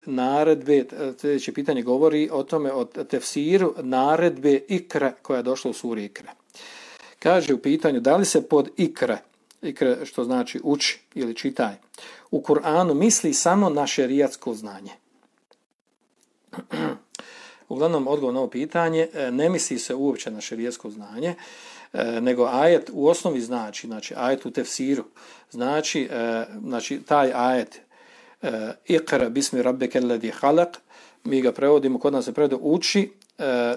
naredbe, sljedeće pitanje govori o tome, o tefsiru naredbe ikra koja je došla u suri Ikra. Kaže u pitanju da li se pod ikra, što znači uči ili čitaj, u Kur'anu misli samo na šerijatsko znanje. Uglavnom, odgovor na ovo pitanje, ne misli se uopće na šerijatsko znanje, nego ajet u osnovi znači ajet u tefsiru, znači taj ajet Iqra bismi rabbike alladi halaq, mi ga prevodimo, kod nas se prevodi uči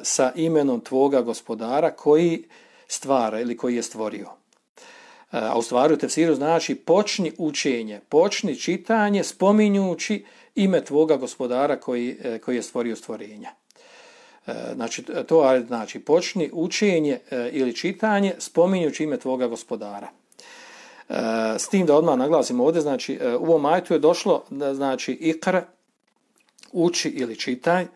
sa imenom tvoga gospodara koji stvara ili koji je stvorio. A u stvari u tefsiru znači počni učenje, počni čitanje spominjući ime tvoga gospodara koji je stvorio stvorenja. Znači to znači počni učenje ili čitanje spominjući ime tvoga gospodara. S tim da odmah naglasimo ovdje, znači u ovom ajetu je došlo znači ikra, uči ili čitaj,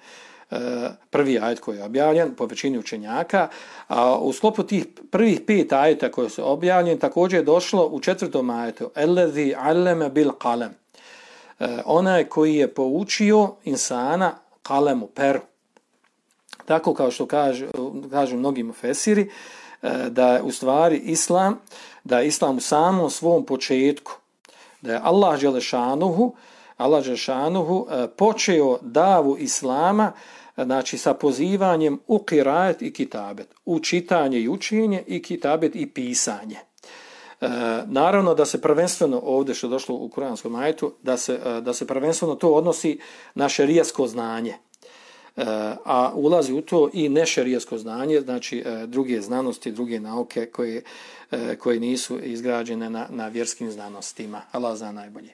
prvi ajet koji je objavljen po većini učenjaka, a u sklopu tih prvih 5 ajeta koji su objavljeni također je došlo u 4. ajetu allazi allama bil qalam, onaj koji je poučio insana kalemu, peru. Tako kao što kažu mnogi mufesiri, da je u stvari islam u samom svom početku, da je Allah dželešanuhu počeo davu islama, znači sa pozivanjem u qiraat i kitabet, u čitanje i učenje i kitabet i pisanje. Naravno da se prvenstveno ovdje što je došlo u kuranskom ajetu, da se prvenstveno to odnosi na šerijatsko znanje. A ulazi u to i nešerijatsko znanje, znači druge znanosti, druge nauke koje nisu izgrađene na vjerskim znanostima. Allah zna najbolje.